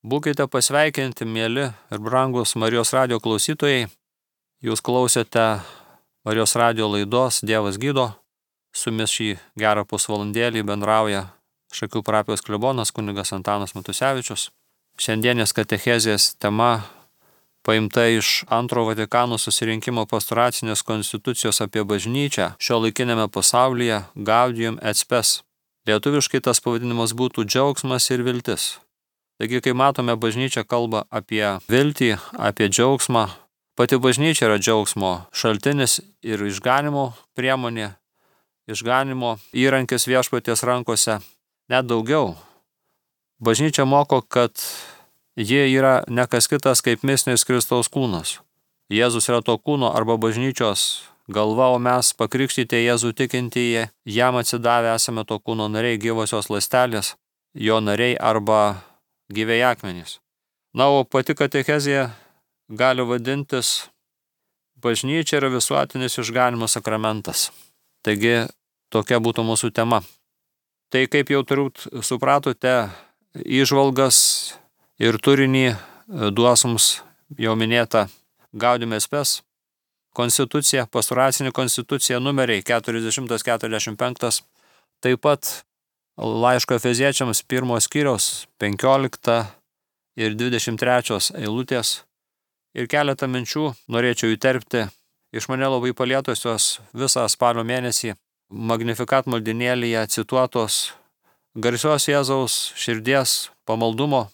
Būkite pasveikinti, mėly ir brangus Marijos radijo klausytojai. Jūs klausėte Marijos radijo laidos Dievas gydo. Su jumis šį gerą pusvalandėlį bendrauja Šakių parapijos klebonas kunigas Antanas Matusevičius. Šiandienės katechezės tema paimta iš Antrojo Vatikano susirinkimo pastoracinės konstitucijos apie bažnyčią šiuolaikiniame pasaulyje Gaudium et Spes. Lietuviškai tas pavadinimas būtų džiaugsmas ir viltis. Taigi, kai matome, bažnyčia kalba apie viltį, apie džiaugsmą. Pati bažnyčia yra džiaugsmo šaltinis ir išganimo priemonė, išganimo įrankis viešpaties rankose. Net daugiau. Bažnyčia moko, kad ji yra ne kas kitas kaip mistinis Kristaus kūnas. Jėzus yra to kūno arba bažnyčios galva, o mes pakrikštyti Jėzų tikintieji, jam atsidavę esame to kūno nariai, gyvosios ląstelės, jo nariai arba gyviai akmenys. Na, o pati katechezija gali vadintis bažnyčia yra visuotinis išganimo sakramentas. Taigi, tokia būtų mūsų tema. Tai kaip jau turbūt supratote, įžvalgas ir turinį duos mums jau minėta Gaudium et Spes konstitucija, pastoracinė konstitucija numeriai 40-45, taip pat laiško Efeziečiams 1 skyriaus 15 ir 23 eilutės. Ir keletą minčių norėčiau įterpti iš mane labai palietusios visą spalio mėnesį Magnificat maldynėlyje cituotos garsios Jėzaus širdies pamaldumo,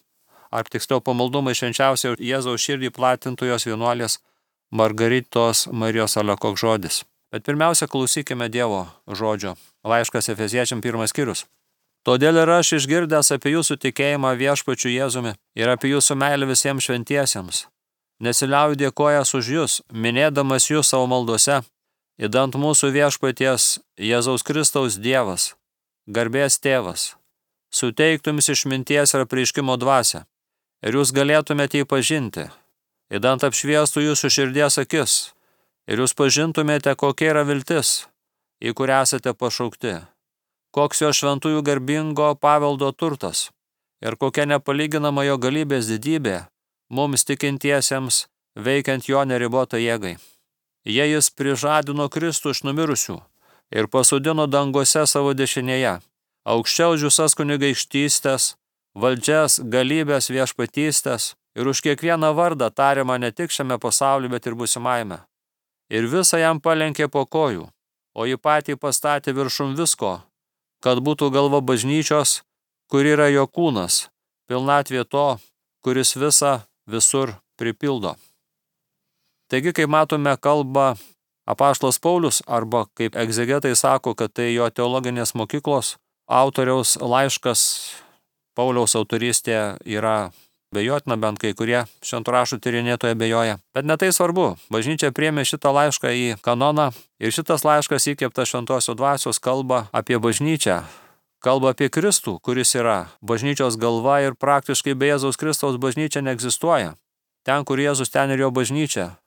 ar tiksliau pamaldumo iš švenčiausio Jėzaus širdį platintojos vienuolės Margaritos Marijos Alekok žodis. Bet pirmiausia, klausykime Dievo žodžio. Laiškas Efeziečiam 1 skyrius. Todėl ir aš išgirdęs apie jūsų tikėjimą viešpačiu Jėzumi ir apie jūsų meilę visiems šventiesiems, nesiliauju dėkojas už jūs, minėdamas jūs savo maldose, idant mūsų viešpaties Jėzaus Kristaus Dievas, garbės tėvas, suteiktų jums išminties ir apreiškimo dvasią, ir jūs galėtumėte jį pažinti, idant apšviestų jūsų širdies akis, ir jūs pažintumėte, kokia yra viltis, į kurią esate pašaukti, koks jo šventųjų garbingo paveldo turtas, ir kokia nepalyginama jo galybės didybė mums tikintiesiems veikiant jo neribotą jėgai. Jie jis prižadino Kristų iš numirusių ir pasodino danguose savo dešinėje, aukščiau už visas kunigaikštystės, valdžias, galybės, viešpatystės ir už kiekvieną vardą tariamą ne tik šiame pasaulyje, bet ir būsimajame. Ir visą jam palenkė po kojų, o jį patį pastatė viršum visko, kad būtų galva bažnyčios, kur yra jo kūnas, pilnatvė to, kuris visą visur pripildo. Taigi, kaip matome, kalba apaštalas Paulius, arba kaip egzegetai sako, kad tai jo teologinės mokyklos autoriaus laiškas. Pauliaus autorystė yra abejotina, bent kai kurie šventų raštų tyrinėtojai abejoja. Bet ne tai svarbu. Bažnyčia priėmė šitą laišką į kanoną ir šitas laiškas įkvėptas šventosios dvasios kalba apie bažnyčią. Kalba apie Kristų, kuris yra bažnyčios galva ir praktiškai be Jėzaus Kristaus bažnyčia neegzistuoja. Ten, kur Jėzus, ten ir jo bažnyčia.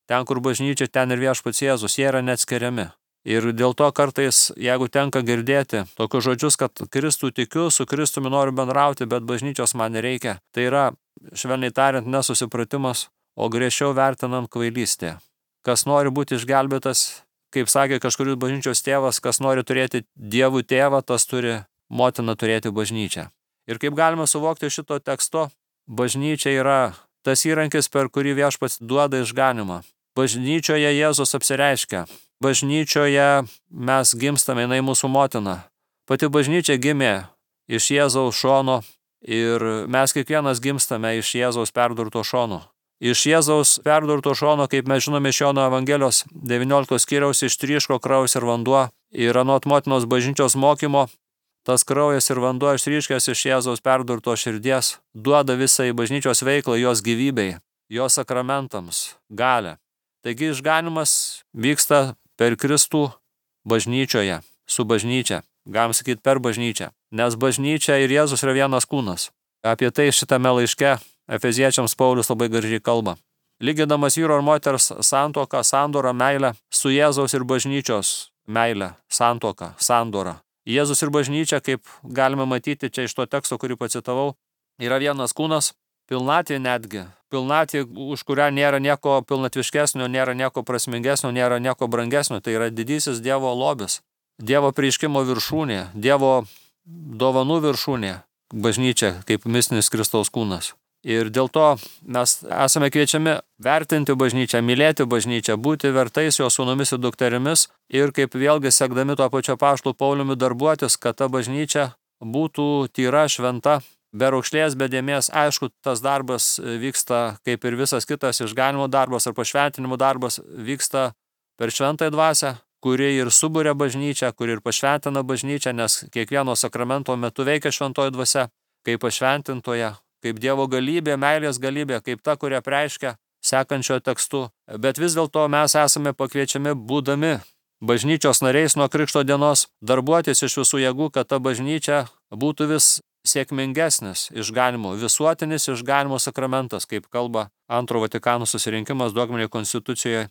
Ten, kur bažnyčia, ten ir viešpats Jėzus, jie yra neatskiriami. Ir dėl to kartais, jeigu tenka girdėti tokius žodžius, kad Kristų tikiu, su Kristumi noriu bendrauti, bet bažnyčios man nereikia, tai yra, švelniai tariant, nesusipratimas, o griežčiau vertinant kvailystė. Kas nori būti išgelbėtas, kaip sakė kažkuris bažnyčios tėvas, kas nori turėti Dievų tėvą, tas turi motiną turėti bažnyčią. Ir kaip galima suvokti šito teksto, bažnyčia yra tas įrankis, per kurį viešpats duoda išganimą. Bažnyčioje Jėzus apsireiškia. Bažnyčioje mes gimstame, jinai mūsų motina. Pati bažnyčia gimė iš Jėzaus šono ir mes kiekvienas gimstame iš Jėzaus perdurto šono. Iš Jėzaus perdurto šono, kaip mes žinome iš Jono Evangelijos 19 skyriaus, ištryško kraujas ir vanduo. Ir anot motinos bažnyčios mokymo, tas kraujas ir vanduo išryškęs iš Jėzaus perdurto širdies duoda visai bažnyčios veiklą, jos gyvybei, jos sakramentams, galią. Taigi išganimas vyksta per Kristų bažnyčioje, su bažnyčia, galim sakyti per bažnyčią, nes bažnyčia ir Jėzus yra vienas kūnas. Apie tai šitame laiške Efeziečiams Paulius labai gražiai kalba. Lygindamas vyro ir moters santuoką, sandorą, meilę su Jėzaus ir bažnyčios meilę, santuoką, sandorą. Jėzus ir bažnyčia, kaip galime matyti čia iš to teksto, kurį pacitavau, yra vienas kūnas, pilnatvė netgi. Pilnatvė, už kurią nėra nieko pilnatviškesnio, nėra nieko prasmingesnio, nėra nieko brangesnio. Tai yra didysis Dievo lobis, Dievo prieiškimo viršūnė, Dievo dovanų viršūnė, bažnyčia kaip mistinis Kristaus kūnas. Ir dėl to mes esame kviečiami vertinti bažnyčią, mylėti bažnyčią, būti vertais jo sūnumis ir dukterimis ir kaip vėlgi sekdami tuo pačiu apaštalo Pauliumi darbuotis, kad ta bažnyčia būtų tyra, šventa, be raukšlės, be dėmės. Aišku, tas darbas vyksta kaip ir visas kitas išganimo darbas ar pašventinimo darbas vyksta per šventąją dvasią, kuri ir suburia bažnyčią, kuri ir pašventina bažnyčią, nes kiekvieno sakramento metu veikia šventoji dvasia, kaip pašventintoja, kaip Dievo galybė, meilės galybė, kaip ta, kurią reiškia sekančio tekstu. Bet vis dėlto mes esame pakviečiami, būdami bažnyčios nariais nuo Krikšto dienos, darbuotis iš visų jėgų, kad ta bažnyčia būtų vis sėkmingesnis išganimo, visuotinis išganimo sakramentas, kaip kalba Antro Vatikano susirinkimas dogminėje konstitucijoje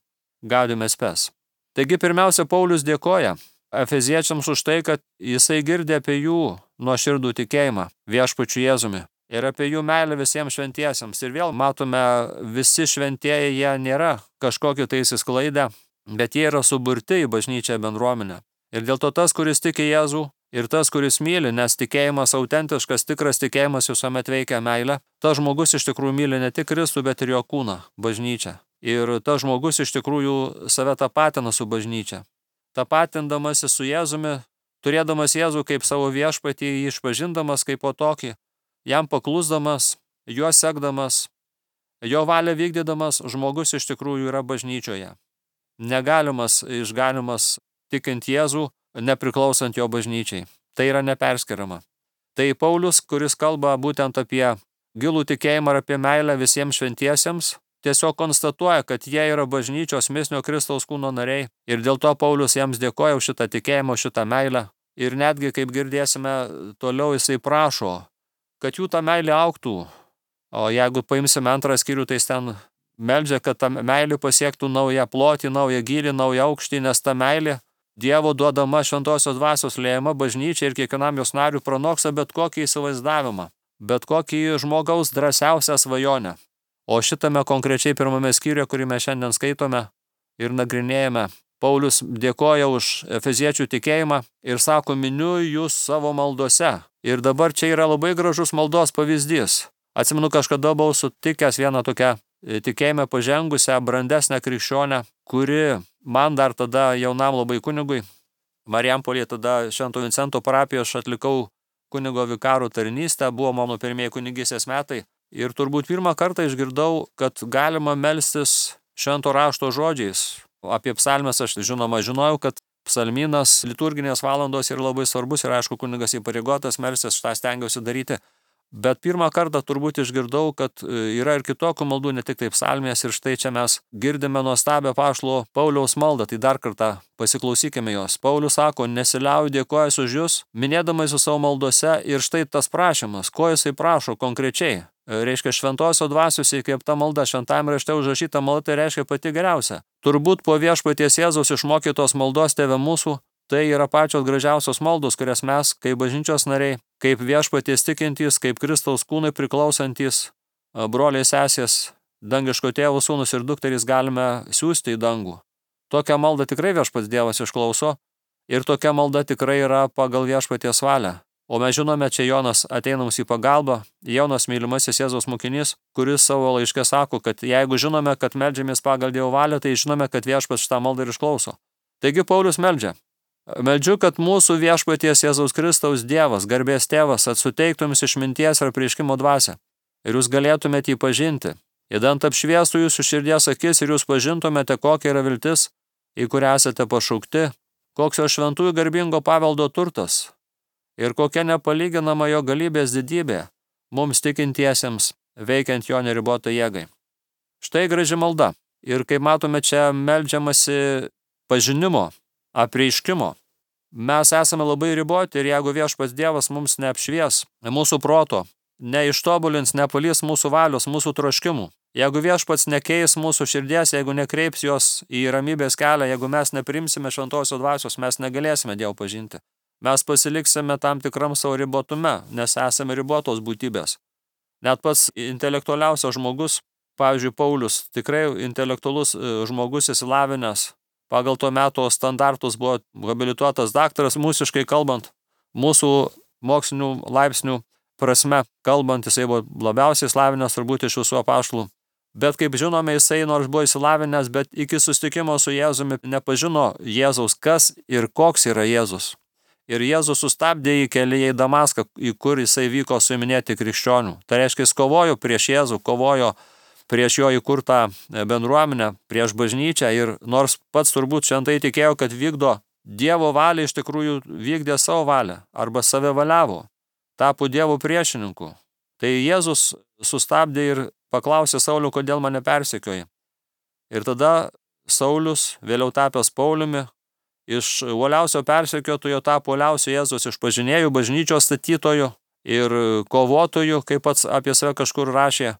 Gaudium et Spes. Taigi pirmiausia, Paulius dėkoja efeziečiams už tai, kad jisai girdė apie jų nuoširdų tikėjimą viešpačiu Jėzumi ir apie jų meilę visiems šventiesiems. Ir vėl matome, visi šventieji jie nėra kažkokie tai įsisklaidę, bet jie yra suburti į bažnyčią bendruomenę. Ir dėl to tas, kuris tiki Jėzų, ir tas, kuris myli, nes tikėjimas autentiškas, tikras tikėjimas visuomet veikia meilę, tas žmogus iš tikrųjų myli ne tik Kristų, bet ir jo kūną, bažnyčią. Ir tas žmogus iš tikrųjų save tapatina su bažnyčia. Tapatindamasi su Jėzumi, turėdamas Jėzų kaip savo viešpatį, jį išpažindamas kaip po tokį, jam paklusdamas, juo sekdamas, jo valią vykdydamas, žmogus iš tikrųjų yra bažnyčioje. Negalimas išganimas tikint Jėzų, nepriklausant jo bažnyčiai. Tai yra neperskiriama. Tai Paulius, kuris kalba būtent apie gilų tikėjimą ir apie meilę visiems šventiesiems, tiesiog konstatuoja, kad jie yra bažnyčios mistinio Kristaus kūno nariai ir dėl to Paulius jiems dėkoja už šitą tikėjimą, šitą meilę. Ir netgi, kaip girdėsime, toliau jisai prašo, kad jų ta meilė augtų. O jeigu paimsime antrą skyrių, tai ten meldžia, kad ta meilė pasiektų naują plotį, naują gylį, naują aukštį, nes ta meilė Dievo duodama šventosios dvasios liejama bažnyčiai ir kiekvienam jos nariui pranoksta bet kokį įsivaizdavimą, bet kokį žmogaus drąsiausią svajonę. O šitame konkrečiai pirmame skyriuje, kurį mes šiandien skaitome ir nagrinėjame, Paulius dėkoja už efeziečių tikėjimą ir sako, miniu jūs savo maldose. Ir dabar čia yra labai gražus maldos pavyzdys. Atsimenu, kažkada buvau sutikęs vieną tokią tikėjime pažengusią, brandesnę krikščionę, kuri man dar tada jaunam labai kunigui, Marijampolėje tada Švento Vincento parapijoje aš atlikau kunigo vikarų tarnystę, buvo mano pirmieji kunigystės metai. Ir turbūt pirmą kartą išgirdau, kad galima melstis švento rašto žodžiais. Apie psalmes aš žinoma žinojau, kad psalmynas liturginės valandos yra labai svarbus ir aišku kunigas įpareigotas melstis, šitą stengiausi daryti. Bet pirmą kartą turbūt išgirdau, kad yra ir kitokių maldų, ne tik taip psalmės ir štai čia mes girdime nuostabią apaštalo Pauliaus maldą, tai dar kartą pasiklausykime jos. Paulius sako, nesiliauju dėkojęs už jūs, minėdamas su savo maldose ir štai tas prašymas, ko jisai prašo konkrečiai. Reiškia šventosios dvasios įkvėpta malda, šventajame rašte užrašyta malda, tai reiškia pati geriausia. Turbūt po viešpaties Jėzaus išmokytos maldos Tėve mūsų, tai yra pačios gražiausios maldos, kurias mes, kaip bažnyčios nariai, kaip viešpaties tikintys, kaip Kristaus kūnai priklausantys, broliai sesės, dangiško tėvo sūnus ir dukterys galime siųsti į dangų. Tokią maldą tikrai viešpats Dievas išklauso ir tokia malda tikrai yra pagal viešpaties valią. O mes žinome, čia Jonas ateina mums į pagalbą, Jonas mylimasis Jėzaus mokinys, kuris savo laiške sako, kad jeigu žinome, kad meldžiamės pagal Dievo valią, tai žinome, kad viešpats šitą maldą ir išklauso. Taigi Paulius meldžia. Meldžiu, kad mūsų viešpaties Jėzaus Kristaus Dievas, garbės tėvas, atsuteiktų jums išminties ir apreiškimo dvasią. Ir jūs galėtumėte jį pažinti. Įdant apšviestų jūsų širdies akis ir jūs pažintumėte, kokia yra viltis, į kurią esate pašaukti, koks jo šventųjų garbingo paveldo turtas ir kokia nepalyginama jo galybės didybė mums tikintiesiems, veikiant jo neribotą jėgai. Štai graži malda. Ir kaip matome, čia meldžiamasi pažinimo, apreiškimo. Mes esame labai riboti ir jeigu viešpats Dievas mums neapšvies mūsų proto, neištobulins, nepalys mūsų valios, mūsų troškimų, jeigu viešpats nekeis mūsų širdies, jeigu nekreips jos į ramybės kelią, jeigu mes neprimsime šventosios dvasios, mes negalėsime Dievo pažinti. Mes pasiliksime tam tikram savo ribotume, nes esame ribotos būtybės. Net pats intelektualiausias žmogus, pavyzdžiui, Paulius, tikrai intelektualus žmogus įsilavinęs, pagal to meto standartus buvo habilituotas daktaras, mūsiškai kalbant, mūsų mokslinių laipsnių prasme kalbant, jisai buvo labiausiai įsilavinęs turbūt iš visų apaštalų. Bet kaip žinome, jisai nors buvo įsilavinęs, bet iki susitikimo su Jėzumi nepažino Jėzaus, kas ir koks yra Jėzus. Ir Jėzus sustabdė jį kelyje į Damaską, į kur jisai vyko suiminėti krikščionių. Tai reiškia, jis kovojo prieš Jėzų, kovojo prieš jo įkurtą bendruomenę, prieš bažnyčią ir nors pats turbūt šventai tikėjo, kad vykdo Dievo valią, iš tikrųjų vykdė savo valią arba save valiavo, tapo Dievo priešininku. Tai Jėzus sustabdė ir paklausė Saulių, kodėl mane persekioji. Ir tada Saulius, vėliau tapęs Pauliumi, iš uoliausio persekiotojo tapo uoliausio Jėzus išpažinėjų, bažnyčios statytojų ir kovotojų, kaip pats apie save kažkur rašė,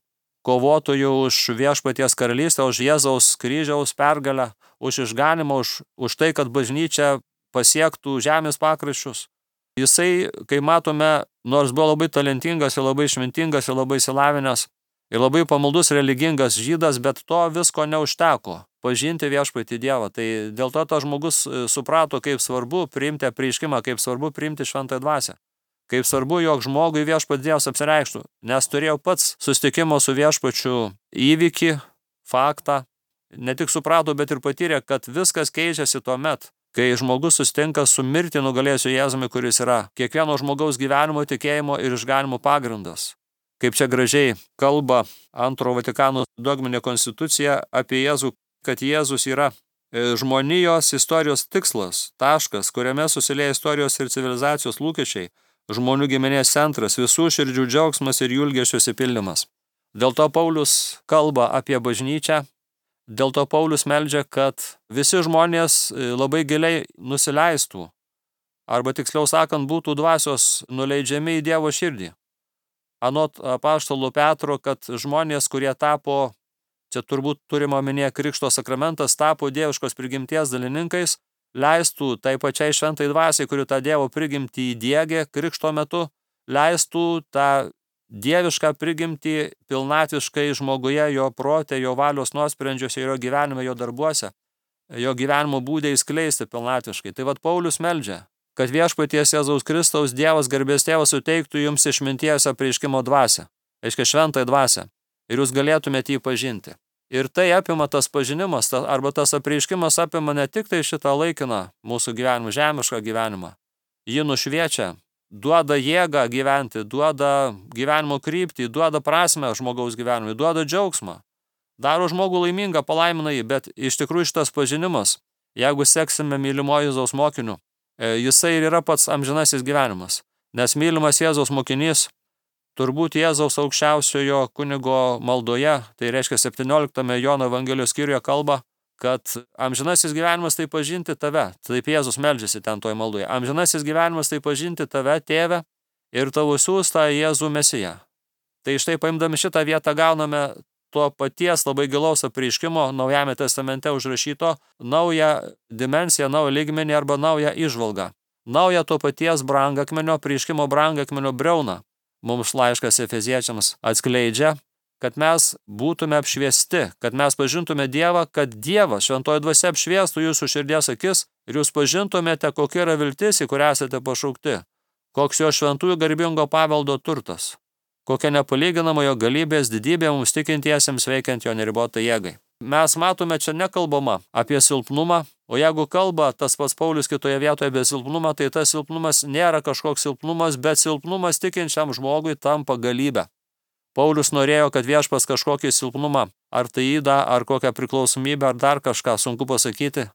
kovotojų už viešpaties karalystę, už Jėzaus kryžiaus pergalę, už išganimą, už tai, kad bažnyčia pasiektų žemės pakraščius. Jisai, kai matome, nors buvo labai talentingas ir labai išmintingas ir labai išsilavinęs ir labai pamaldus religingas žydas, bet to visko neužteko pažinti viešpatį Dievą. Tai dėl to tas žmogus suprato, kaip svarbu priimti apreiškimą, kaip svarbu priimti šventąją dvasią. Kaip svarbu, jog žmogui viešpats Dievas apsireikštų, nes turėjau pats susitikimo su viešpačiu įvykį, faktą, ne tik suprato, bet ir patyrė, kad viskas keičiasi tuo met, kai žmogus susitinka su mirtį nugalėsiu Jėzumi, kuris yra kiekvieno žmogaus gyvenimo, tikėjimo ir išganimo pagrindas. Kaip čia gražiai kalba Antro Vatikano dogminė konstitucija apie Jėzų, kad Jėzus yra žmonijos istorijos tikslas, taškas, kuriame susilieja istorijos ir civilizacijos lūkesčiai, žmonių giminės centras, visų širdžių džiaugsmas ir jų ilgesio išsipildymas. Dėl to Paulius kalba apie bažnyčią, dėl to Paulius meldžia, kad visi žmonės labai giliai nusileistų, arba tiksliau sakant, būtų dvasios nuleidžiami į Dievo širdį. Anot apaštalo Petro, kad žmonės, kurie tapo, čia turbūt turima omenyje Krikšto sakramentas, tapo dieviškos prigimties dalininkais, leistų tai pačiai šventai dvasiai, kuri tą Dievo prigimtį įdiegė Krikšto metu, leistų tą dievišką prigimtį pilnatviškai žmoguje, jo prote, jo valios nuosprendžiuose, jo gyvenime, jo darbuose, jo gyvenimo būdai skleisti pilnatviškai. Tai vat Paulius meldžia, kad viešpaties Jėzaus Kristaus Dievas garbės tėvas suteiktų jums išminties apreiškimo dvasią, reiškia šventąją dvasią, ir jūs galėtumėte jį pažinti. Ir tai apima tas pažinimas, arba tas apreiškimas apima ne tik tai šitą laikiną mūsų gyvenimą, žemišką gyvenimą. Jį nušviečia, duoda jėgą gyventi, duoda gyvenimo kryptį, duoda prasmę žmogaus gyvenimui, duoda džiaugsmą. Daro žmogų laimingą, palaimina jį, bet iš tikrųjų šitas pažinimas, jeigu seksime mylimojo Jėzaus mokiniu, jisai ir yra pats amžinasis gyvenimas. Nes mylimas Jėzaus mokinys, turbūt Jėzaus aukščiausiojo kunigo maldoje, tai reiškia 17 Jono Evangelijos skyriuje kalba, kad amžinasis gyvenimas tai pažinti tave, taip Jėzus meldžiasi ten toj maldoje, amžinasis gyvenimas tai pažinti tave, tėve, ir tavo siųstą Jėzų Mesiją. Tai štai paimdami šitą vietą gauname to paties labai gilaus apreiškimo Naujame testamente užrašyto naują dimensiją, naują lygmenį arba naują įžvalgą. Naują to paties brangakmenio, apreiškimo brangakmenio briauną. Mums laiškas Efeziečiams atskleidžia, kad mes būtume apšviesti, kad mes pažintume Dievą, kad Dievas šventoji dvasia apšviestų jūsų širdies akis ir jūs pažintumėte, kokia yra viltis, į kurią esate pašaukti, koks jo šventųjų garbingo paveldo turtas, kokia nepalyginama jo galybės didybė mums tikintiesiems veikiant jo neribotą jėgai. Mes matome, čia nekalbama apie silpnumą, o jeigu kalba tas pats Paulius kitoje vietoje apie silpnumą, tai tas silpnumas nėra kažkoks silpnumas, bet silpnumas tikinčiam žmogui tampa galybė. Paulius norėjo, kad viešpas kažkokį silpnumą, ar tai ydą, ar kokią priklausomybę, ar dar kažką, sunku pasakyti.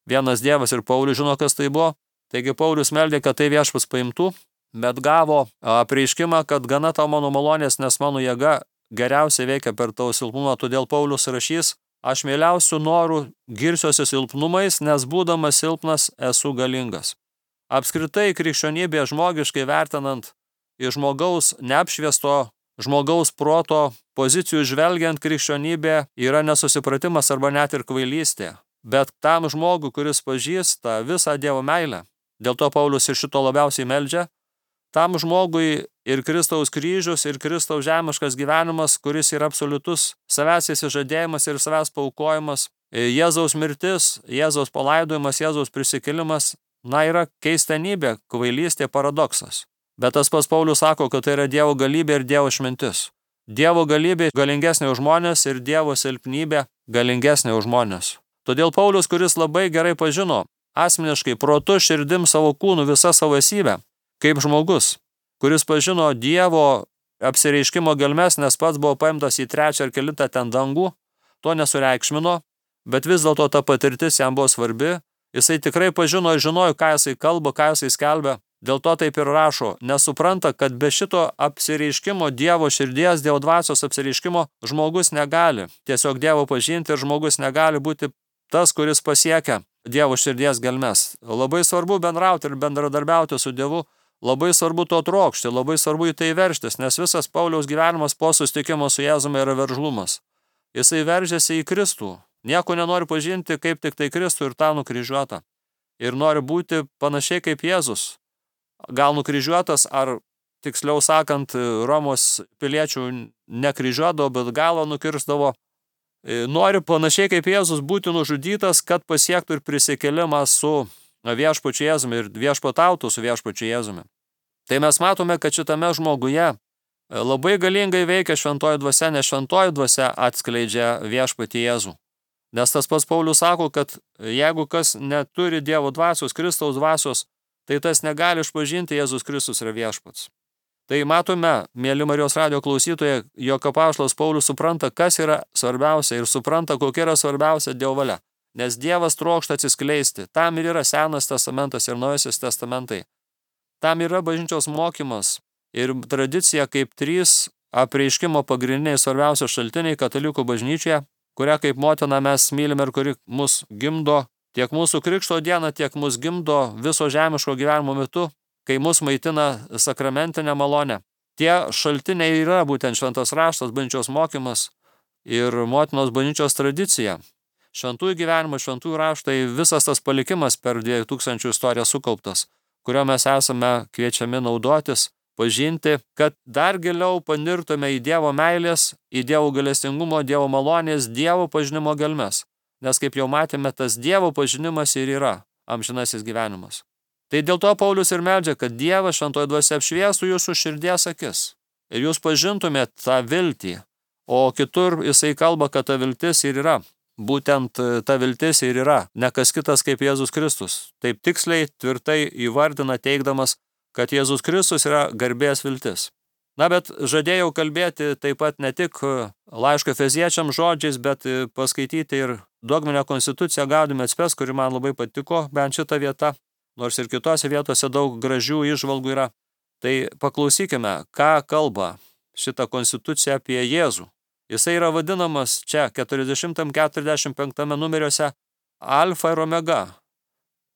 Vienas Dievas ir Paulius žino, kas tai buvo. Taigi Paulius meldė, kad tai viešpas paimtų, bet gavo apreiškimą, kad gana tau mano malonės, nes mano jėga geriausiai veikia per tavo silpnumą, todėl Paulius rašys, aš mieliausių norų girsiuosi silpnumais, nes būdamas silpnas esu galingas. Apskritai krikščionybė žmogiškai vertinant iš žmogaus neapšviesto, žmogaus proto pozicijų žvelgiant, krikščionybė yra nesusipratimas arba net ir kvailystė. Bet tam žmogui, kuris pažįsta visą Dievo meilę, dėl to Paulius ir šito labiausiai meldžia, tam žmogui ir Kristaus kryžius, ir Kristaus žemiškas gyvenimas, kuris yra absoliutus savęs įsižadėjimas ir savęs paaukojimas, Jėzaus mirtis, Jėzaus palaidojimas, Jėzaus prisikėlimas, yra keistenybė, kvailystė, paradoksas. Bet tas pats Paulius sako, kad tai yra Dievo galybė ir Dievo išmintis. Dievo galybė galingesnė už žmonės ir Dievo silpnybė galingesnė už žmonės. Todėl Paulius, kuris labai gerai pažino asmeniškai protu, širdim, savo kūnu, visą savo esybę, kaip žmogus, kuris pažino Dievo apsireiškimo gelmes, nes pats buvo paimtas į 3 ar 4 ten dangų, to nesureikšmino, bet vis dėlto ta patirtis jam buvo svarbi, jisai tikrai pažino ir žinojo, ką jisai kalba, ką jisai skelbia, dėl to taip ir rašo, nesupranta, kad be šito apsireiškimo Dievo širdies, Dievo dvasios apsireiškimo žmogus negali tiesiog Dievo pažinti ir žmogus negali būti tas, kuris pasiekia Dievo širdies gelmes. Labai svarbu bendrauti ir bendradarbiauti su Dievu, labai svarbu to trokšti, labai svarbu į tai veržtis, nes visas Pauliaus gyvenimas po susitikimo su Jėzumi yra veržlumas. Jisai veržiasi į Kristų, nieko nenori pažinti kaip tik tai Kristų ir tą nukryžiuotą. Ir nori būti panašiai kaip Jėzus. Gal nukryžiuotas, ar tiksliau sakant, Romos piliečių nekryžiuodavo, bet galą nukirsdavo. Nori panašiai kaip Jėzus būti nužudytas, kad pasiektų ir prisikėlimą su viešpačiu Jėzumi ir viešpatautų su viešpačiu Jėzumi. Tai mes matome, kad šitame žmoguje labai galingai veikia šventoji dvasia, nes šventoji dvasia atskleidžia viešpatį Jėzų. Nes tas pats Paulius sako, kad jeigu kas neturi Dievo dvasios, Kristaus dvasios, tai tas negali išpažinti Jėzus Kristus yra viešpats. Tai matome, mėly Marijos radijo klausytojai, jog apaštalas Paulius supranta, kas yra svarbiausia ir supranta, kokia yra svarbiausia Dievo valia. Nes Dievas trokšta atsiskleisti. Tam ir yra Senas testamentas ir Naujasis testamentai. Tam yra bažnyčios mokymas ir tradicija kaip 3 apreiškimo pagrindiniai svarbiausi šaltiniai katalikų bažnyčioje, kurią kaip motina mes mylime ir kuri mus gimdo tiek mūsų krikšto dieną, tiek mus gimdo viso žemiško gyvenimo metu, kai mus maitina sakramentinė malonė. Tie šaltiniai yra būtent šventas raštas, bažnyčios mokymas ir motinos bažnyčios tradicija. Šventųjų gyvenimas, šventųjų raštai, visas tas palikimas per 2000 istoriją sukauptas, kurio mes esame kviečiami naudotis, pažinti, kad dar giliau panirtume į Dievo meilės, į Dievo gailestingumo, Dievo malonės, Dievo pažinimo gelmes. Nes kaip jau matėme, tas Dievo pažinimas ir yra amžinasis gyvenimas. Tai dėl to Paulius ir meldžia, kad Dievas šventoji dvasia apšviestų jūsų širdies akis ir jūs pažintumėt tą viltį, o kitur jisai kalba, kad ta viltis ir yra. Būtent ta viltis ir yra, ne kas kitas kaip Jėzus Kristus. Taip tiksliai, tvirtai įvardina teigdamas, kad Jėzus Kristus yra garbės viltis. Bet žadėjau kalbėti taip pat ne tik laiško Efeziečiam žodžiais, bet paskaityti ir dogminę konstituciją Gaudium et Spes, kuri man labai patiko, bent šitą vietą, nors ir kitose vietose daug gražių įžvalgų yra. Tai paklausykime, ką kalba šitą konstituciją apie Jėzų. Jisai yra vadinamas čia 40-45 numeriuose Alfa ir Omega,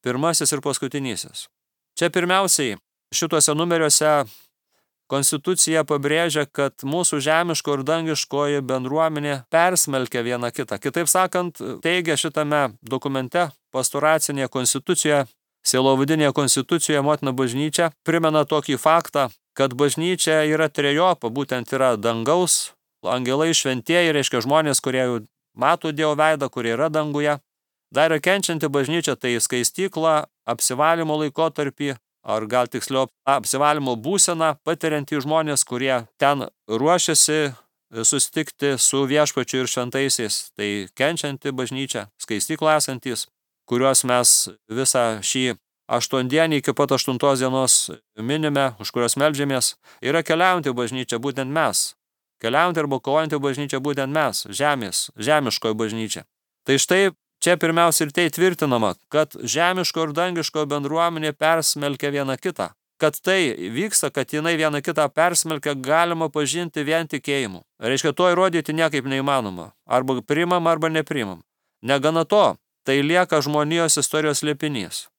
pirmasis ir paskutinysis. Čia pirmiausiai šituose numeriuose konstitucija pabrėžia, kad mūsų žemiško ir dangiškoji bendruomenė persmelkia vieną kitą. Kitaip sakant, teigia šitame dokumente, pastoracinėje konstitucijoje, sielovadinėje konstitucijoje motina bažnyčia primena tokį faktą, kad bažnyčia yra trejopa, būtent yra dangaus, angelai šventieji, reiškia žmonės, kurie jau mato Dievo veidą, kurie yra danguje. Dar yra kenčianti bažnyčia, tai skaistykla, apsivalymo laikotarpį, ar gal tiksliau apsivalymo būseną patiriantys žmonės, kurie ten ruošiasi susitikti su viešpačiu ir šventaisiais. Tai kenčianti bažnyčia, skaistykla esantys, kuriuos mes visą šį 8 dienį iki pat 8 dienos minime, už kurios meldžiamės, yra keliaujanti bažnyčia, būtent mes. Keliaujanti arba kovojanti bažnyčia, būtent mes, žemiškoji bažnyčia. Tai štai čia pirmiausia ir tai tvirtinama, kad žemiško ir dangiško bendruomenė persmelkia vieną kitą. Kad tai vyksta, kad jinai vieną kitą persmelkia, galima pažinti vien tikėjimu. Reiškia, to įrodyti niekaip neįmanoma. Arba priimam, arba neprimam. Negana to, tai lieka žmonijos istorijos slėpinys.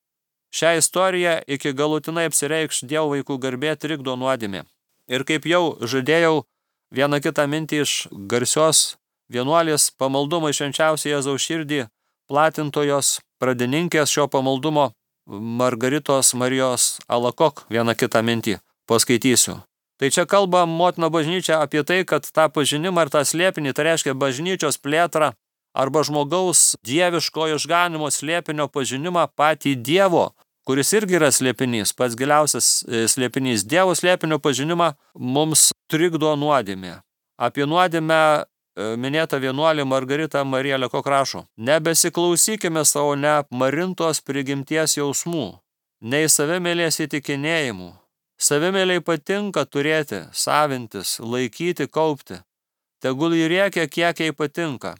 Šią istoriją iki galutinai apsireikš Dievo vaikų garbė trikdo nuodėmė. Ir kaip jau žadėjau, vieną kitą mintį iš garsios vienuolės pamaldumo į švenčiausią Jėzaus širdį platintojos pradininkės šio pamaldumo Margaritos Marijos Alakok vieną kitą mintį paskaitysiu. Tai čia kalba motina bažnyčia apie tai, kad tą pažinimą ir tą slėpinį, tai reiškia bažnyčios plėtrą arba žmogaus dieviško išganimo slėpinio pažinimą patį Dievo, kuris irgi yra slėpinys, pats giliausias slėpinys. Dievo slėpinio pažinimą mums trikdo nuodėmė. Apie nuodėmę minėta vienuolė Margarita Marija Lekok rašo: nebesiklausykime savo neapmarintos prigimties jausmų, nei savimėlės įtikinėjimų. Savimėliai patinka turėti, savintis, laikyti, kaupti. Tegul jį rėkia, kiek jai patinka.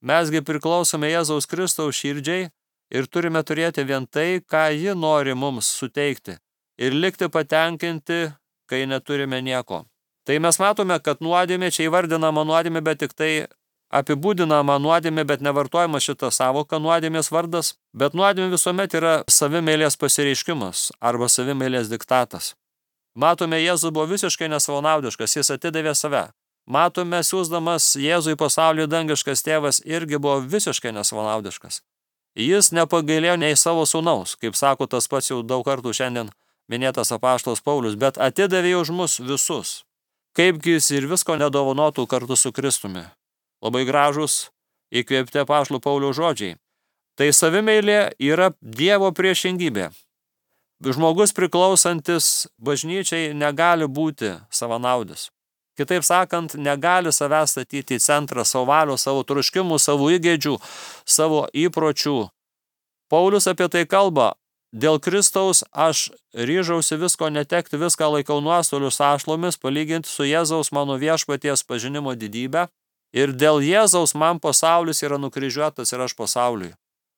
Mesgi priklausome Jėzaus Kristaus širdžiai ir turime turėti vien tai, ką ji nori mums suteikti, ir likti patenkinti, kai neturime nieko. Tai mes matome, kad nuodėmė, čia įvardinama nuodėmė, bet tik tai apibūdinama nuodėmė, bet nevartojama šita savoka nuodėmės vardas. Bet nuodėmė visuomet yra savimėlės pasireiškimas arba savimėlės diktatas. Matome, Jėzus buvo visiškai nesavanaudiškas, jis atidavė save. Matome, siųsdamas Jėzų į pasaulį dangiškas tėvas irgi buvo visiškai nesavanaudiškas. Jis nepagailėjo nei savo sūnaus, kaip sako tas pats jau daug kartų šiandien minėtas apaštalas Paulius, bet atidavė už mus visus. Kaipgi jis ir visko nedovanotų kartu su Kristumi. Labai gražus įkvėpti apaštalo Pauliaus žodžiai. Tai savimeilė yra Dievo priešingybė. Žmogus priklausantis bažnyčiai negali būti savanaudis. Kitaip sakant, negali savęs statyti į centrą savo valios, savo troškimų, savo įgeidžių, savo įpročių. Paulius apie tai kalba. Dėl Kristaus aš ryžausi visko netekti, viską laikau nuostolių sąšlomis, palyginti su Jėzaus mano viešpaties pažinimo didybę. Ir dėl Jėzaus man pasaulis yra nukryžiuotas ir aš pasauliui.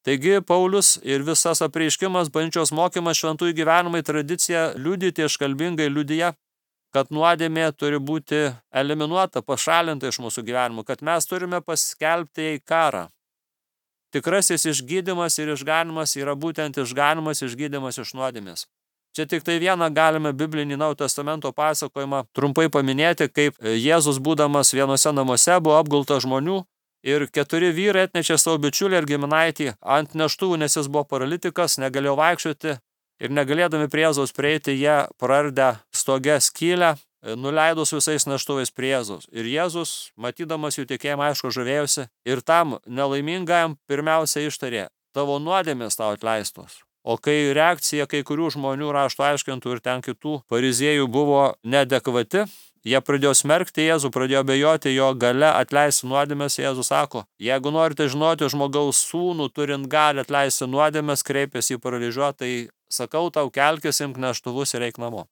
Taigi Paulius ir visas apreiškimas, bažnyčios mokymas, šventųjų gyvenimai, tradicija liudyti iškalbingai liudija, kad nuodėmė turi būti eliminuota, pašalinta iš mūsų gyvenimų, kad mes turime paskelbti jai karą. Tikrasis išgydymas ir išganimas yra būtent išganimas, išgydymas iš nuodėmės. Čia tik tai vieną galime biblinį Naujojo Testamento pasakojimą trumpai paminėti, kaip Jėzus būdamas vienose namuose buvo apgultas žmonių ir 4 vyrai atnešė savo bičiulį ir giminaitį ant neštuvų, nes jis buvo paralitikas, negalėjo vaikščioti ir negalėdami prie Jėzaus prieiti, jie prardę stoge skylę, nuleido su visais neštuvais prie Jėzaus. Ir Jėzus, matydamas jų tikėjimą, aišku, žavėjosi ir tam nelaimingajam pirmiausia ištarė: tavo nuodėmės tau atleistos. O kai reakcija kai kurių žmonių, rašto aiškintų ir ten kitų fariziejų buvo neadekvati, jie pradėjo smerkti Jėzų, pradėjo abejoti jo gale atleisti nuodėmės. Jėzus sako: jeigu norite žinoti žmogaus sūnų, turint gali atleisti nuodėmės, kreipėsi į paralyžiuotą, tai sakau tau, kelkis, imk neštuvus ir eik namo.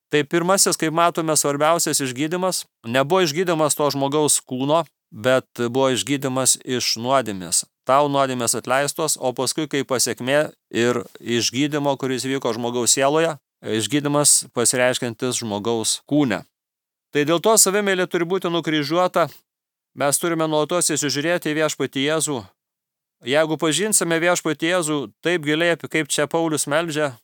Tai pirmasis, kaip matome, svarbiausias išgydymas nebuvo išgydymas to žmogaus kūno, bet buvo išgydymas iš nuodėmės. Tau nuodėmės atleistos, o paskui kaip pasiekmė ir išgydymo, kuris vyko žmogaus sieloje, išgydymas pasireiškiantis žmogaus kūne. Tai dėl to savimėlė turi būti nukryžiuota, mes turime nuolatos įsižiūrėti į viešpatį Jėzų. Jeigu pažinsime viešpatį Jėzų taip giliai, kaip čia Paulius meldžia,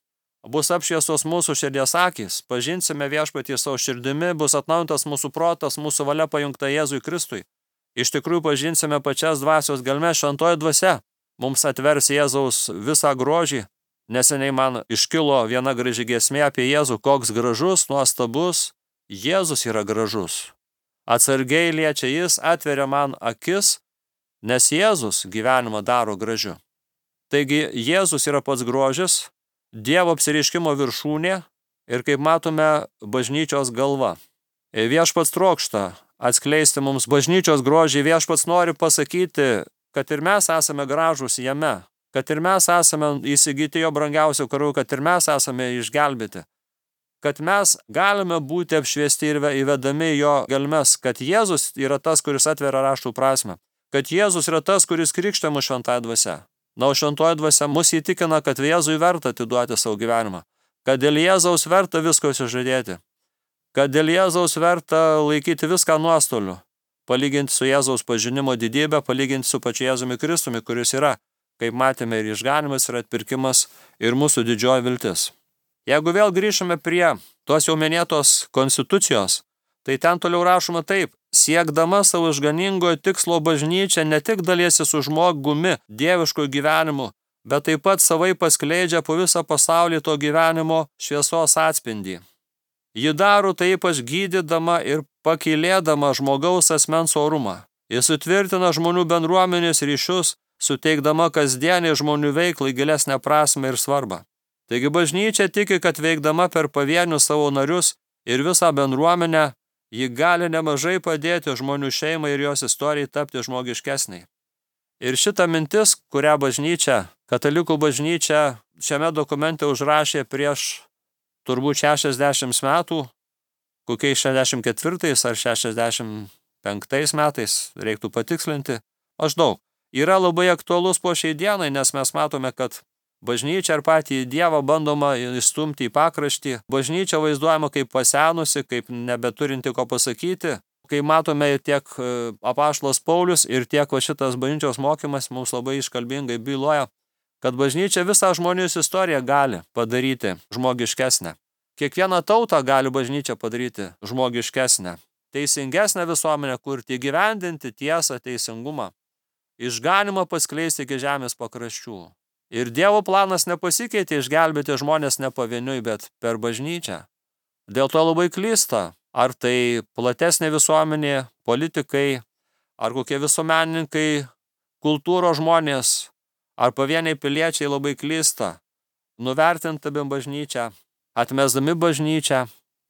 bus apšviestos mūsų širdies akys, pažinsime viešpatį savo širdimi, bus atnaujintas mūsų protas, mūsų valia pajungta Jėzui Kristui. Iš tikrųjų pažinsime pačias dvasios gelmes, šventoji dvasia mums atvers Jėzaus visą grožį. Neseniai man iškilo viena graži giesmė apie Jėzų, koks gražus, nuostabus. Jėzus yra gražus. Atsargiai liečia jis, atveria man akis, nes Jėzus gyvenimą daro gražiu. Taigi Jėzus yra pats grožis, Dievo apsireiškimo viršūnė ir, kaip matome, bažnyčios galva. Viešpats trokšta atskleisti mums bažnyčios grožį, viešpats nori pasakyti, kad ir mes esame gražūs jame, kad ir mes esame įsigyti jo brangiausių karų, kad ir mes esame išgelbėti, kad mes galime būti apšviesti ir įvedami jo gelmes, kad Jėzus yra tas, kuris atveria raštų prasmę, kad Jėzus yra tas, kuris krikštė mus šventąja dvasia. Na, o šventoji dvasia mus įtikina, kad Jėzui verta atiduoti savo gyvenimą, kad dėl Jėzaus verta visko išsižadėti, kad dėl Jėzaus verta laikyti viską nuostoliu, palyginti su Jėzaus pažinimo didybė, palyginti su pačiu Jėzumi Kristumi, kuris yra, kaip matėme, ir išganimas, ir atpirkimas, ir mūsų didžioji viltis. Jeigu vėl grįžtume prie tos jau minėtos konstitucijos, tai ten toliau rašoma taip: siekdama savo išganingojo tikslo bažnyčia ne tik daliesi su žmogumi dieviškojo gyvenimu, bet taip pat savai paskleidžia po visą pasaulį to gyvenimo šviesos atspindį. Ji daro tai ypač gydydama ir pakylėdama žmogaus asmens orumą. Jis sutvirtina žmonių bendruomenės ryšius, suteikdama kasdienį žmonių veiklai gilesnę prasmę ir svarbą. Taigi bažnyčia tiki, kad veikdama per pavienius savo narius ir visą bendruomenę, ji gali nemažai padėti žmonių šeimai ir jos istorijai tapti žmogiškesniai. Ir šita mintis, kurią bažnyčia, katalikų bažnyčia šiame dokumente užrašė prieš turbūt 60 metų, kokiais 64 ar 65 metais, reiktų patikslinti, maždaug, yra labai aktualus po šiai dienai, nes mes matome, kad bažnyčia ir patį Dievą bandoma įstumti į pakraštį, bažnyčia vaizduojama kaip pasenusi, kaip nebeturinti ko pasakyti, kai matome tiek apaštalas Paulius ir tiek šitas bažnyčios mokymas mums labai iškalbingai byloja, kad bažnyčia visą žmonijos istoriją gali padaryti žmogiškesnę. Kiekvieną tautą gali bažnyčia padaryti žmogiškesnę, teisingesnę visuomenę kurti, įgyvendinti tiesą, teisingumą, išganimą paskleisti iki žemės pakraščių. Ir Dievo planas nepasikeitė išgelbėti žmonės ne pavieniui, bet per bažnyčią. Dėl to labai klysta, ar tai platesnė visuomenė, politikai, ar kokie visuomenininkai, kultūros žmonės, ar pavieniai piliečiai labai klysta, nuvertindami bažnyčią, atmesdami bažnyčią,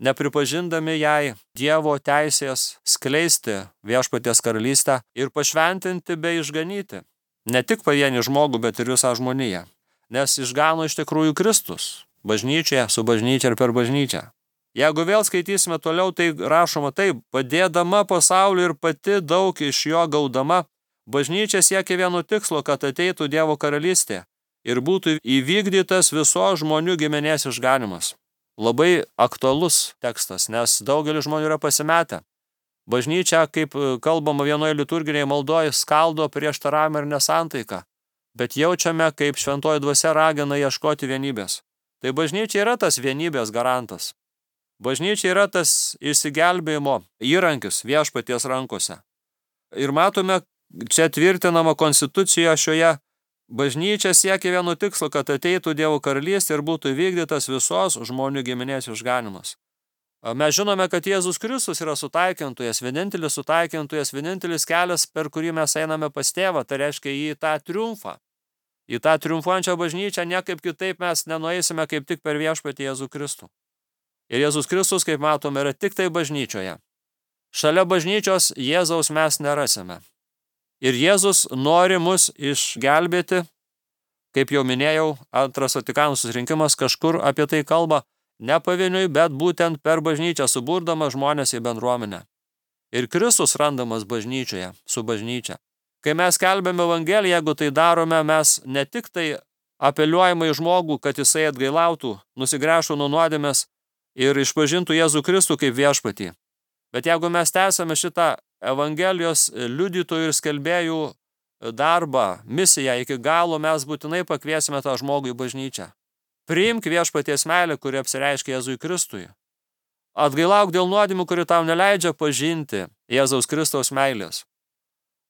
nepripažindami jai Dievo teisės skleisti viešpaties karalystę ir pašventinti bei išganyti. Ne tik pavienį žmogų, bet ir visą žmoniją. Nes išgano iš tikrųjų Kristus, bažnyčioje, su bažnyčia ir per bažnyčią. Jeigu vėl skaitysime toliau, tai rašoma taip, padėdama pasauliu ir pati daug iš jo gaudama, bažnyčia siekia vieno tikslo, kad ateitų Dievo karalystė ir būtų įvykdytas visos žmonių giminės išganimas. Labai aktualus tekstas, nes daugelis žmonių yra pasimetę. Bažnyčia, kaip kalbama vienoje liturginėje maldoje, skaldo prieštaravimą ir nesantaiką, bet jaučiame, kaip šventoji dvasia ragina ieškoti vienybės. Tai bažnyčia yra tas vienybės garantas. Bažnyčia yra tas išsigelbėjimo įrankis viešpaties rankose. Ir matome, čia tvirtinama konstitucijoje šioje, bažnyčia siekia vieno tikslo, kad ateitų Dievo karalystė ir būtų įvykdytas visos žmonių giminės išganimas. Mes žinome, kad Jėzus Kristus yra sutaikintojas, vienintelis kelias, per kurį mes einame pas Tėvą, tai reiškia į tą triumfą. Į tą triumfuojančią bažnyčią niekaip kitaip mes nenueisime kaip tik per viešpatį Jėzų Kristų. Ir Jėzus Kristus, kaip matome, yra tik tai bažnyčioje. Šalia bažnyčios Jėzaus mes nerasime. Ir Jėzus nori mus išgelbėti, kaip jau minėjau, Antras Vatikano susirinkimas kažkur apie tai kalba, ne pavieniui, bet būtent per bažnyčią, suburdama žmonės į bendruomenę. Ir Kristus randamas bažnyčioje, su bažnyčia. Kai mes skelbiame Evangeliją, jeigu tai darome, mes ne tik tai apeliuojame į žmogų, kad jisai atgailautų, nusigręžtų nuo nuodėmės ir išpažintų Jėzų Kristų kaip viešpatį. Bet jeigu mes tęsame šitą Evangelijos liudytojų ir skelbėjų darbą, misiją iki galo, mes būtinai pakviesime tą žmogų į bažnyčią. Priimk viešpaties meilę, kuri apsireiškia Jėzui Kristui. Atgailauk dėl nuodėmių, kuri tau neleidžia pažinti Jėzaus Kristaus meilės.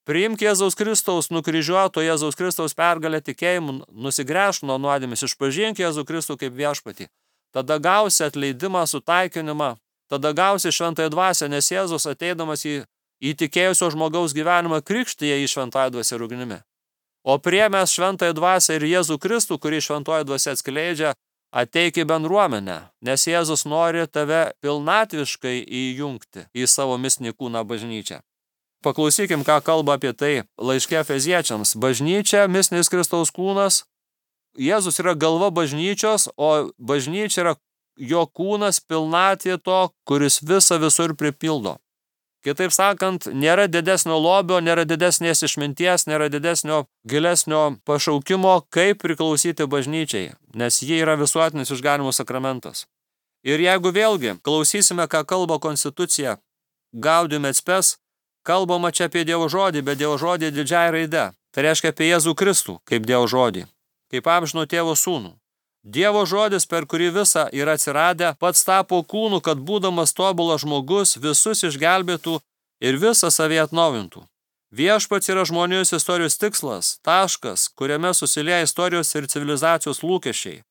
Priimk Jėzaus Kristaus nukryžiuoto Jėzaus Kristaus pergalę tikėjimu, nusigręžk nuo nuodėmės, išpažink Jėzų Kristų kaip viešpatį. Tada gausi atleidimą, sutaikinimą, tada gausi šventąją dvasią, nes Jėzus ateidamas į tikėjusio žmogaus gyvenimą krikštyje į šventąją dvasią ir ugnimi. O priėmęs šventąją dvasią ir Jėzų Kristų, kurį šventoji dvasia atskleidžia, ateik į bendruomenę, nes Jėzus nori tave pilnatviškai įjungti į savo mistinį kūną bažnyčią. Paklausykim, ką kalba apie tai laiške Efeziečiams. Bažnyčia, mistinis Kristaus kūnas, Jėzus yra galva bažnyčios, o bažnyčia yra jo kūnas, pilnatvė to, kuris visur pripildo. Kitaip sakant, nėra didesnio lobio, nėra didesnės išminties, nėra didesnio gilesnio pašaukimo, kaip priklausyti bažnyčiai, nes ji yra visuotinis išganimo sakramentas. Ir jeigu vėlgi klausysime, ką kalba konstitucija, Gaudium et Spes, kalbama čia apie Dievo žodį, bet Dievo žodį didžiąja raide. Tai reiškia apie Jėzų Kristų, kaip Dievo žodį, kaip amžino tėvo sūnų. Dievo žodis, per kurį visa yra atsiradę, pats tapo kūnu, kad būdamas tobulas žmogus visus išgelbėtų ir visą savį atnaujintų. Viešpats yra žmonijos istorijos tikslas, taškas, kuriame susilieja istorijos ir civilizacijos lūkesčiai,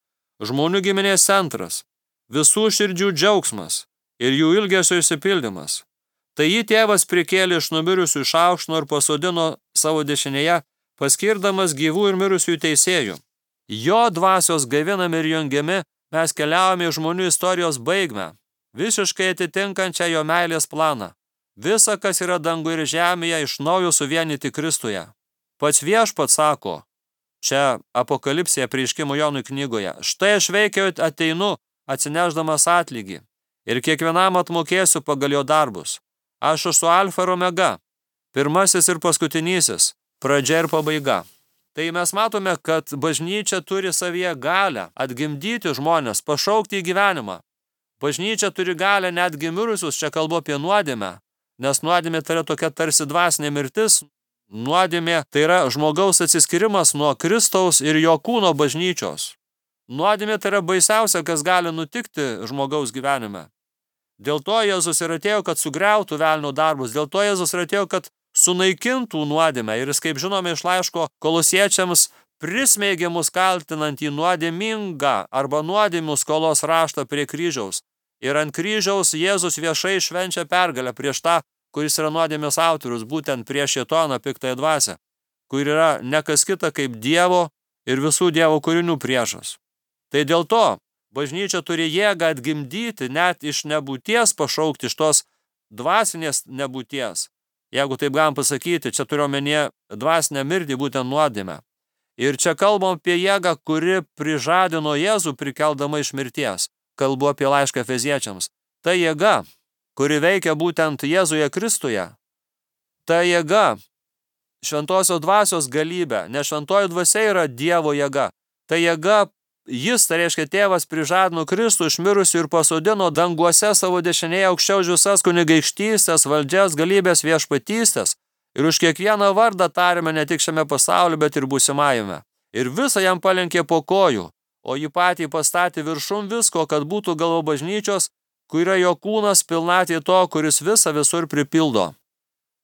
žmonių giminės centras, visų širdžių džiaugsmas, ir jų ilgesio išsipildymas. Tai jį tėvas prikėlė iš numirusių, išaukštino ir pasodino savo dešinėje, paskirdamas gyvų ir mirusių teisėjų. Jo dvasios gaivinami ir jungiami mes keliaujame į žmonių istorijos baigmę, visiškai atitinkančią jo meilės planą. Visa, kas yra danguje ir žemėje, iš naujo suvienyti Kristuje. Pats Viešpats sako, čia Apokalipsėje Apreiškimo Jonui knygoje, štai aš veikiau ateinu, atsinešdamas atlygį, ir kiekvienam atmokėsiu pagal jo darbus. Aš esu alfa ir omega, pirmasis ir paskutinysis, pradžia ir pabaiga. Tai mes matome, kad bažnyčia turi savyje galę atgimdyti žmonės, pašaukti į gyvenimą. Bažnyčia turi galę netgi mirusius, čia kalbu apie nuodėmę, nes nuodėmė tai yra tokia tarsi dvasinė mirtis. Nuodėmė tai yra žmogaus atsiskirimas nuo Kristaus ir jo kūno bažnyčios. Nuodėmė tai yra baisiausia, kas gali nutikti žmogaus gyvenime. Dėl to Jėzus ir atėjo, kad sugriautų velnio darbus, dėl to Jėzus ir atėjo, kad sunaikintų nuodėmę. Ir jis, kaip žinome iš laiško Kolosiečiams, prismeigė mus kaltinant į nuodėmingą arba nuodėmių skolos raštą prie kryžiaus. Ir ant kryžiaus Jėzus viešai švenčia pergalę prieš tą, kuris yra nuodėmės autorius, būtent prieš šėtoną piktąją dvasią, kur yra ne kas kita kaip Dievo ir visų Dievo kūrinių priešas. Tai dėl to bažnyčia turi jėgą atgimdyti, net iš nebūties pašaukti, iš tos dvasinės nebūties. Jeigu taip galim pasakyti, čia turiu omenyje dvasinę mirtį, būtent nuodėmę. Ir čia kalbam apie jėgą, kuri prižadino Jėzų prikeldama iš mirties. Kalbu apie laišką Efeziečiams. Ta jėga, kuri veikia būtent Jėzuje Kristuje, ta jėga, šventosios dvasios galybė, nes šventoji dvasia yra Dievo jėga. Ta jėga, jis, tai reiškia tėvas, prižadino Kristų iš mirusių ir pasodino danguose savo dešinėje aukščiau už visas kunigaikštystės, valdžias, galybės, viešpatystės. Ir už kiekvieną vardą tarėme ne tik šiame pasaulyje, bet ir būsimajame. Ir visą jam palenkė po kojų, o jį patį pastatė viršum visko, kad būtų galva bažnyčios, kur yra jo kūnas pilnatvė to, kuris visą visur pripildo.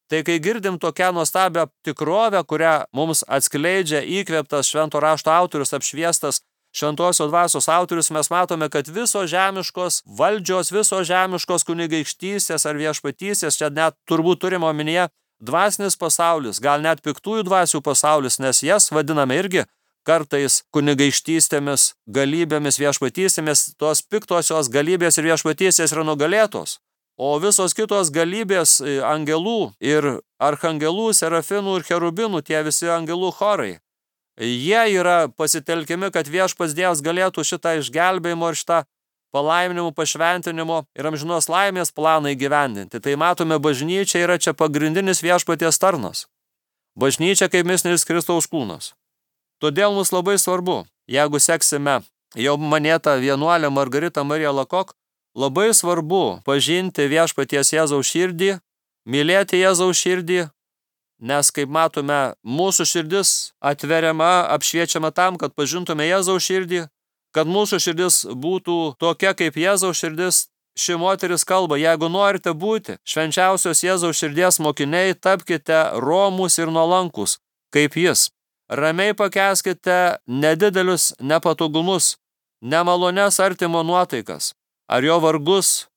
Tai kai girdim tokią nuostabią tikrovę, kurią mums atskleidžia įkvėptas švento rašto autorius, apšviestas šventosios dvasios autorius, mes matome, kad visos žemiškos valdžios, visos žemiškos kunigaikštystės ar viešpatystės, čia net turbūt turime omenyje dvasinis pasaulis, gal net piktųjų dvasių pasaulis, nes jas vadiname irgi kartais kunigaikštystėmis, galybėmis, viešpatystėmis, tos piktosios galybės ir viešpatystės yra nugalėtos. O visos kitos galybės angelų ir archangelų, serafinų ir cherubinų, tie visi angelų chorai, jie yra pasitelkiami, kad viešpats Dievas galėtų šitą išgelbėjimo ir šitą palaiminimų, pašventinimo ir amžinos laimės planą įgyvendinti. Tai matome, bažnyčia yra čia pagrindinis viešpaties tarnas. Bažnyčia kaip mistinis Kristaus kūnas. Todėl mums labai svarbu, jeigu seksime jau manėtą vienuolę Margaritą Mariją Lakok, labai svarbu pažinti viešpaties Jėzaus širdį, mylėti Jėzaus širdį, nes, kaip matome, mūsų širdis atveriama, apšviečiama tam, kad pažintume Jėzaus širdį, kad mūsų širdis būtų tokia kaip Jėzaus širdis. Ši moteris kalba, jeigu norite būti švenčiausios Jėzaus širdies mokiniai, tapkite romūs ir nuolankus, kaip jis. Ramiai pakęskite nedidelius nepatogumus, nemalonias artimo nuotaikas, ar jo vargus.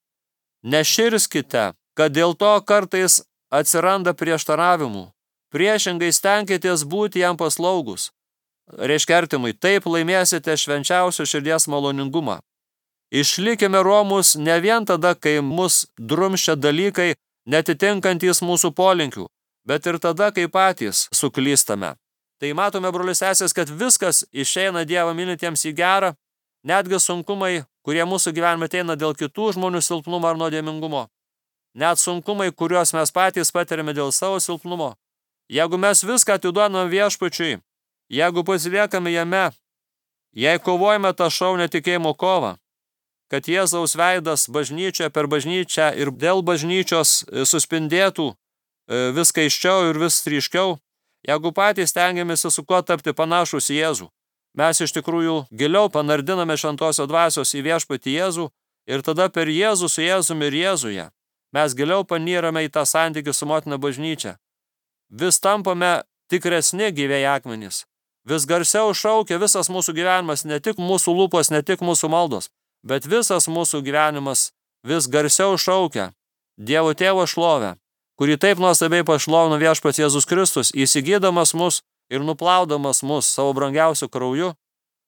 Neširskite, kad dėl to kartais atsiranda prieštaravimų. Priešingai stenkitės būti jam paslaugus. Reiškia artimui, taip laimėsite švenčiausio širdies maloningumą. Išlikime romus ne vien tada, kai mus drumščia dalykai netitinkantys mūsų polinkių, bet ir tada, kai patys suklystame. Tai matome, brolius sesės, kad viskas išeina Dievą mylintiems į gerą, netgi sunkumai, kurie mūsų gyvenime ateina dėl kitų žmonių silpnumo ar nuodėmingumo. Net sunkumai, kuriuos mes patys patiriame dėl savo silpnumo. Jeigu mes viską atiduodame viešpačiui, jeigu pasiliekame jame, jei kovojame tą šaunę tikėjimo kovą, kad Jėzaus veidas bažnyčioje per bažnyčią ir dėl bažnyčios suspindėtų vis aiškiau ir vis ryškiau, jeigu patys stengiamės su kuo tapti panašus į Jėzų, mes iš tikrųjų giliau panardiname šventosios dvasios į viešpatį Jėzų ir tada per Jėzų su Jėzumi ir Jėzuje mes giliau panyrame į tą santykį su motina bažnyčia. Vis tampame tikresni gyvieji akmenys. Vis garsiau šaukia visas mūsų gyvenimas, ne tik mūsų lūpos, ne tik mūsų maldos, bet visas mūsų gyvenimas vis garsiau šaukia Dievo Tėvo šlovę, kurį taip nuostabiai pašlovino Viešpats Jėzus Kristus, įsigydamas mus ir nuplaudamas mus savo brangiausiu krauju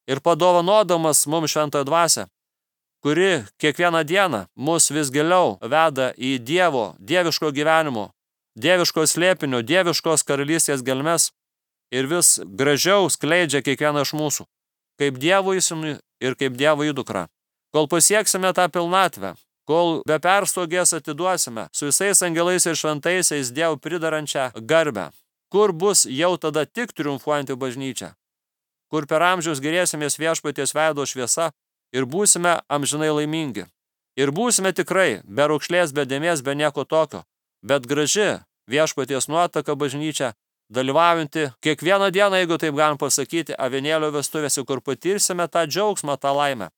ir padovanodamas mums šventąją dvasią, kuri kiekvieną dieną mus vis giliau veda į dieviško gyvenimo, dieviško slėpinio, dieviškos karalystės gelmes ir vis gražiau skleidžia kiekvieną iš mūsų, kaip Dievo įsūnų ir kaip Dievo įdukrą. Kol pasieksime tą pilnatvę, kol be perstogės atiduosime su visais angelais ir šventaisiais Dievo pridarančią garbę, kur bus jau tada tik triumfuojanti bažnyčia, kur per amžius gerėsimės Viešpaties veido šviesa ir būsime amžinai laimingi. Ir būsime tikrai be raukšlės, be dėmės, be nieko tokio, bet graži Viešpaties nuotaka bažnyčia, dalyvaujanti kiekvieną dieną, jeigu taip galim pasakyti, avinėlio vestuvėse, kur patirsime tą džiaugsmą, tą laimę.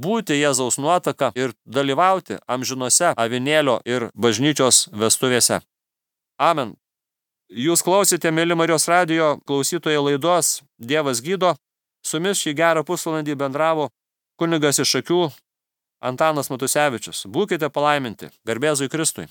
Būti Jėzaus nuotaka ir dalyvauti amžinose avinėlio ir bažnyčios vestuvėse. Amen. Jūs klausėte, mėly Marijos radijo klausytojai, laidos Dievas gydo. Su jumis šį gerą pusvalandį bendravo kunigas iš Šakių Antanas Matusevičius. Būkite palaiminti. Garbė Jėzui Kristui.